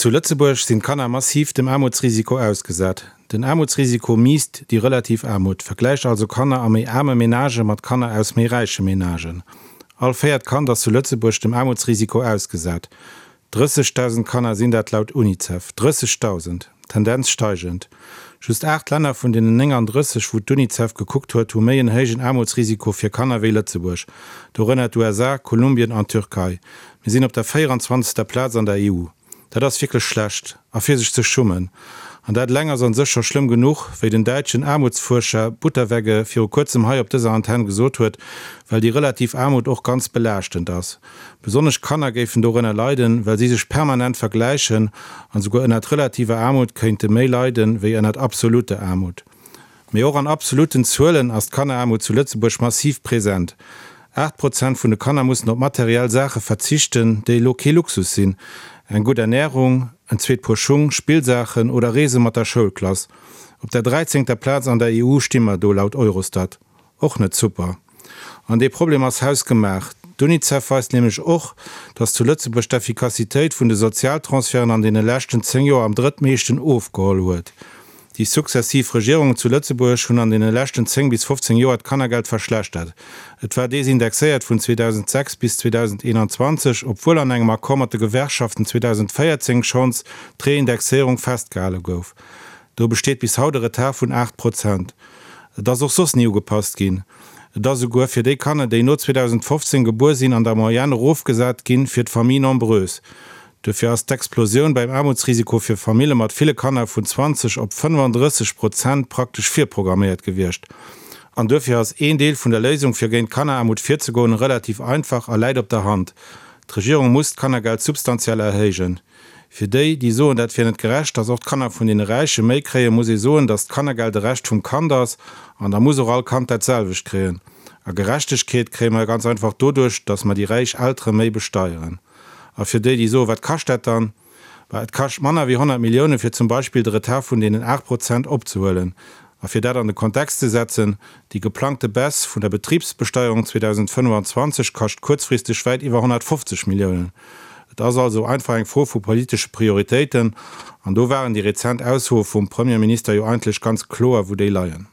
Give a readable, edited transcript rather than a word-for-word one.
Zu Lëtzebuerg sinn d'Kanner massiv dem Aarmutsrisiko ausgesat. Den Aarmutsrisiko miisst déi relativ Aarmut, vergläicht also Kanner a méi aarme Menagë mat Kanner aus méi räiche Menagen. All véiert Kand ass zu Lëtzebuerg dem Aarmutsrisiko ausgesat. 30.000 Kanner sinn dat laut Unicef. 30.000! Tendenz steigend. Just 8 Länner vun deenen 39, wou d'Unicef gekuckt huet, hu méi en héijen Aarmutsrisiko fir Kanner wéi Lëtzebuerg. Dorënner d'USA, Kolumbien an d'Türkei. Mir sinn op der 24. Plaz an der EU. Dat ass wierklech schlecht. A fir sech ze schummen. An dat eleng ass an sech scho schlëmm genuch, wéi den däitschen Aarmutsfuerscher Butterwegge viru kuerzem hei op dëser Antenn gesot huet, well déi relativ Aarmut och ganz belaaschtend ass. Besonnesch Kanner géifen dorënner leiden, well si sech permanent vergläichen an esouguer ënnert relativer Aarmut kéinte méi leiden, wéi ënnert absoluter Aarmut. Mee och an absolutten Zuelen ass d'Kanneraarmut zu Lëtzebuerg massiv present. 8 Prozent vun de Kanner mussen op materiell Saache verzichten, déi elo kee Luxus sinn, eng gutt Ernärung, en zweet Puer Schung, Spillsaachen oder Reese mat der Schoulklass. Op der dräizéngter Plaz an der EU sti mer do laut Eurostat. Och net super. An dee Problem ass hausgemaach. D'Unicef weist nämlech och, datt zu Lëtzebuerg d'Effikassitéit vun de Sozialtransferten an deene leschten 10 Joer am drëttmeeschten ofgeholl huet. Déi successiv Regierungen zu Lëtzebuerg hunn an deene leschten 10 bis 15 Joer d'Kannergeld verschlechtert. Et war desindexéiert vun 2006 bis 2021, obwuel an engem Accord mat de Gewerkschaften 2014 schonns d'Reindexéierung festgehale gouf. Do besteet bis haut e Retard vun 8 Prozent. Et ass och soss ni ugepasst ginn. Et ass esouguer fir déi Kanner, déi no 2015 gebuer sinn, an der Moyenne erofgesat ginn fir d'Familles nombreuses. Duerfir ass d'Explosioun beim Aarmutsrisiko fir Famille mat ville Kanner vun 20 op 35 Prozent praktesch virprogramméiert gewiescht. An duerfir ass een Deel vun der Léisung, fir géint d'Kanneraarmut virzegoen, relativ einfach a läit op der Hand, D'Regierung muss d'Kannergeld substantiell erhéijen. Fir déi, déi soen, dat wier net gerecht, datt och d'Kanner vun deene Räiche méi kréien, muss ee soen, datt d'Kannergeld e Recht vum Kand ass an da muss och all Kand dat selwecht kréien. A Gerechtegkeet kréie mer ganz einfach doduerch, datt mer déi räich Eltere méi besteieren. A fir déi, déi soen, wat kascht dat dann? Bah, et kascht manner wéi 100 Milliounen, fir zum Beispill de Retard vun deenen 8 Prozent opzehuelen. A fir dat an de Kontext ze setzen, Déi geplangte Baisse vun der Betribsbesteierung 2025 kascht kuerzfristeg wäit iwwer 150 Milliounen. Et ass also einfach eng Fro vu politesche Prioritéiten, an do waren déi rezent Aussoe vum Premierminister jo eigentlech ganz kloer, wou déi leien.